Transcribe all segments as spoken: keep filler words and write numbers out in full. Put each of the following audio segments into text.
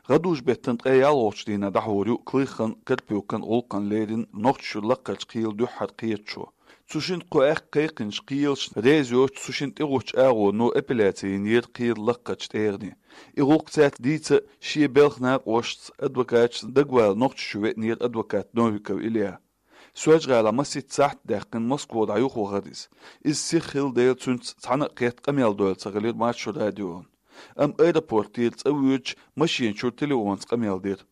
ГӀадужу-беттан ткъе ялхолгӀачу дийнахь дӀахьур ю Клыхан, Карпюкан гӀуллакхна лерина Нохчийчуьра лакхарчу кхелан дуьххьара кхеташо. Цу шинна кхо аьхка кхайкхинчу кхелашна реза йоцуш, цу шинна тӀехӀуттучу агӀоно апелляци йинера кхелан лакхарчу тӀегӀане. И гӀуллакх цаьрца дийца шен белхан накъосташца, адвокаташца дагавала Нохчийчу веанера адвокат Новиков Илья. Соьлжа-ГӀалахь масийтта сахьт даьккхина Москва дӀа юхавахара иза. Иза сиха хилла дела, цуьнца цхьана а кхетта къамел дойла ца хилира Маршо радион. Амма аэропортера цӀа воьдучу машина чуьра телефонца къамел дира.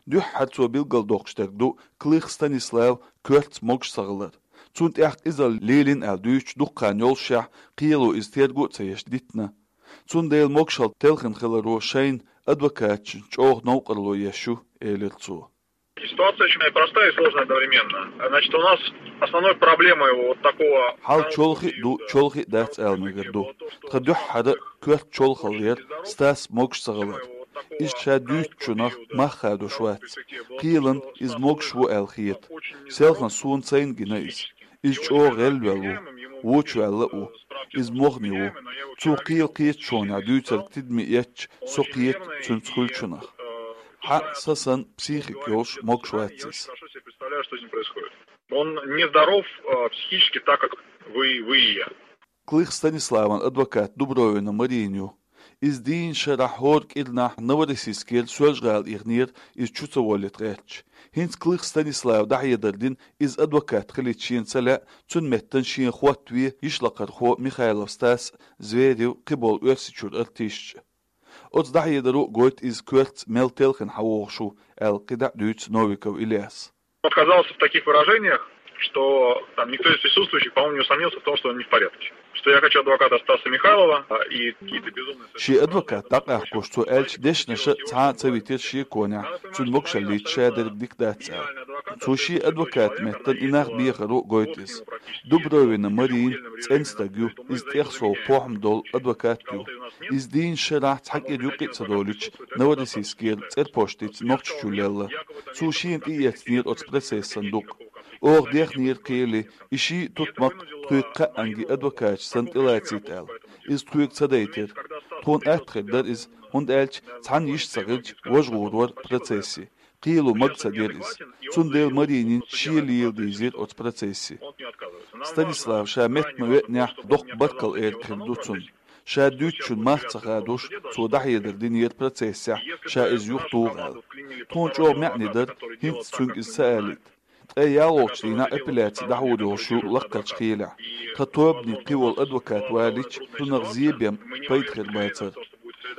Дуьххьара цо билгалдоккхуш дерг ду Клых Станислав коьртаца могуш ца хилар. Цунна тӀехь къизалла лелийна аьлла дуьйцуш дукха хан йоллушехь, кхело иза терго а ца еш дитина. Цундела могушалла телхина хиларо шайна, адвокаташна чӀогӀа новкъарло еш ю, элира цо. Ситуация очень простая и сложная одновременно. Значит, у нас основной проблемой вот такого... Хьал чолхе а ду, чолхе а дац ала мегар ду. Тхан дуьххьара коьрта чолхалла яра Стас могуш ца хилар. Иза ша дуьйцучунах мах хадош вац. Кхелан иза могуш ву аьлла хета. Селхана суна сайна гина иза. Иза чӀогӀа гӀелвелла ву, вочаваьлла а ву. Иза мохни ву. Цо кхелан кхеташонехь дуьйцург тидаме эцча, со кхета цуьнца хуьлучунах. Хьан а, сан санна психика йолуш могуш вац иза. Он нездоров, э, психически так, как вы, вы и я. Клых Станиславан адвокат Дубровина Марина ю. Иза дийнна шарахь хӀора кӀирнахь Новороссийскера Соьлжа-ГӀала ихнера, иза чу ца воллийта гӀерташ. ХӀинца Клых Станислава дӀахьедар дина, иза адвокат хилийта шена ца лаьа, цуьнан меттана шена хӀоттаве йишлакхархо Михайлов Стас, Зверев, кхиболу Оьрсийчуьра артисташ а. Оцу дӀахьедаро а гойту иза коьртаца мел телхина хьан вогӀуш ву, аьлла кхидӀа а дуьйцу Новиков Ильяс. Отказался в таких выражениях, что там никто из присутствующих, по-моему, не усомнился в том, что он не в порядке. Что я хочу адвоката Стаса Михайлова, а, и какие-то безумные... Шен адвокат дӀакъахкош цо аьллачу дешнаша цхьа а ца витира шеконехь, цуьнан могушаллица ша дерг дика дац аьлла. Цо шен адвоката меттана и нах бехаро а гойту иза. Дубровина Марина цӀена стаг ю, иза тӀех сов похӀма долу адвокат ю. Иза дийнна шарахь цхьа кӀира юккъе а ца долуьйтуш, Новороссийскера цӀерпоштица Нохчийчу лелла. Цо шена тӀеэцнера оцу процессан дукъ. Оха дехнера кхеле, и шиъ а тутмакх тхоьга кхаанге адвокаташ санна тӀелацийта аьлла. Иза тхоьга ца дайтира. Тхуна атта хир дара иза, хӀунда аьлча цхьанна йиш ца хилча, важа гӀур вара процессе. Кхело мага ца дира иза. Цундела Маринина шен лела дийзира оцу процессе. Станислав ша метта ма веанехь, доккха баркалла эрна хир ду цунна. Ша дуьйцучун мах ца хадош, цо дӀахьедар динера процессехь, ша иза юхатуху аьлла. Тхуна чӀогӀа маьӀне дара, хӀинца цуьнга иза ца алийта. Ткъе ялхолгӀачу дийнахь апелляци дӀахьур йолуш ю лакхарчу кхелехь. Тхан тобане кхин волу адвокат валийча, цунах зен бен пайда хир бацара.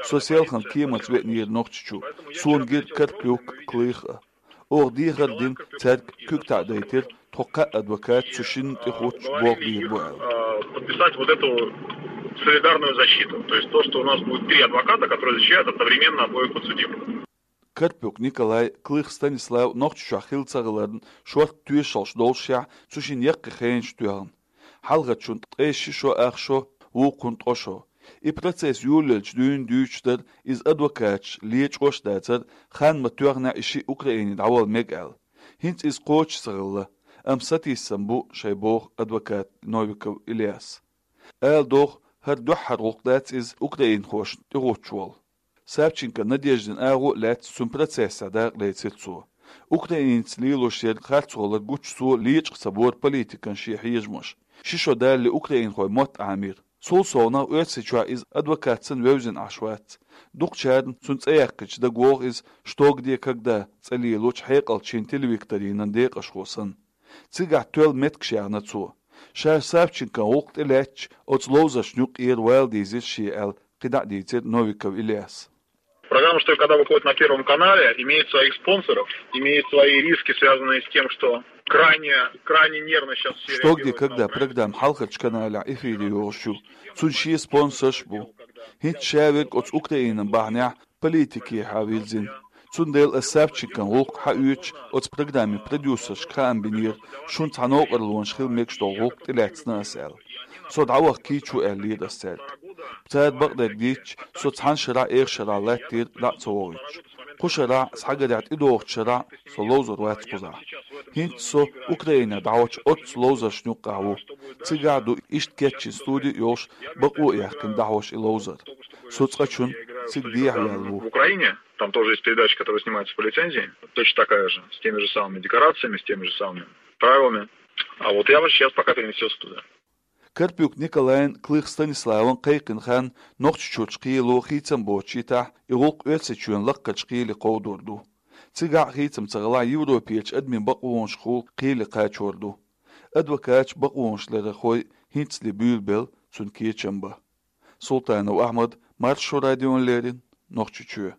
Со селхана кеманца веанера Нохчийчу. Суна гира Карпюк, Клых а. Оха дехар а дина, цаьрга куьг таӀадайтира, тхо кхаа адвокат цу шинна тӀехӀуттуш болх бийр бу аьлла. Э, подписать вот эту солидарную защиту. То есть то, что у нас будет три адвоката, которые защищают одновременно обоих подсудимых. Карпюк Николай, Клых Станислав Нохчийчохь хилла ца хиларна шорта тоьшаллаш доллушехь, цу шинна яккхий хенаш тоьхна. Хьалхарчунна ткъе ши шо ах шо, вукхунна ткъа шо. И процесс йолаелча дуьйна дуьйцуш дара, иза адвокаташ лен чӀогӀа дацара, хан ма тоьхнехь и шиъ Украине дӀавала мега аьлла. ХӀинца иза кхочуш ца хилла, амма сатийсам бу шайн, боху адвокат Новиков Ильяс. Ала догӀу, хӀара дуьххьара гӀуллакх дац иза украинхошна тӀехӀуттуш волу. Савченко Надеждин агӀо а лаьцна цуьнан процессехь дакъа лецира цо. Украинца лелош ерг харцхула гучу цо лечкъа ца бора политикан шен хьежамаш. Ши шо далале украинхойн мотт Ӏамийра. Цул совнах Оьрсийчохь иза адвокат санна вевзина Ӏаш вац. Дукхачарна цуьнан цӀе яьккхича дагавогӀу иза «Что? Где? Когда?» цӀе лелочу хьекъалчийн телевикторинан декъашхо санна. Цигахь тоьлла меттигаш яьхна цо. Ша Савченкон гӀуллакх тӀелаьцча, оцу ловзаршна юккъера вала дийзира шен аьлла, кхидӀа а дийцира Новиков Ильяс. Программа «Что? Где? Когда?» выходит на Первом канале, имеет своих спонсоров, имеет свои риски, связанные с тем, что крайне, крайне нервно сейчас все реагируют на украинскую... «Что? Где? Когда?» программа хьалхарчу каналехь эфире йогӀуш ю. Цуьнан шен спонсорш а бу. ХӀинца ша верг оцу Украинан бахьанехь политикехьа вирзина. Цундела ас Савченкон гӀуллакх хьаоьцуш, оцу программин продюсершка хаам бинера, шуна цхьа новкъарлонаш хила мегаш долу гӀуллакх тӀелаьцна ас аьлла. Со дӀаваха кийча ву аьллера ас цаьрга. Цара бакъдерг дийцча, со цхьана шарахь, эха шарахь латтийра дӀа а ца вохуьйтуш. Кху шарахь, схьагарехь тӀедогӀучу шарахь со ловзур вац кхузахь. ХӀинца со Украинехь дӀахьочу оццу ловзаршна юккъехь ву. Цигахь а ду иштта кечйина студи а йолуш, бакъо а яьккхина дӀахьош и ловзар. Со цкъачунна цига дехьаваьлла ву. В Украине, там тоже есть передача, которая снимается по лицензии, точно такая же, с теми же самыми декорациями, с теми же самыми правилами. А вот я вас сейчас пока переместился туда. Карпюк Николайн, Клых Станиславан кхайкхийна хан Нохчийчурчу кхело хийцам боцучу хенахь, и гӀуллакх Оьрсийчоьнан лакхарчу кхеле кховдор ду. Цигахь а хийцам ца хилахь, Европерчу адамийн бакъонашкахула кхеле кхачор ду. Адвокаташ, бакъонашларъярхой хӀинцале буьйлабелла цуьнан кечам бан. Султанов Ахьмад, Маршо радиона леррина, Нохчийчоь.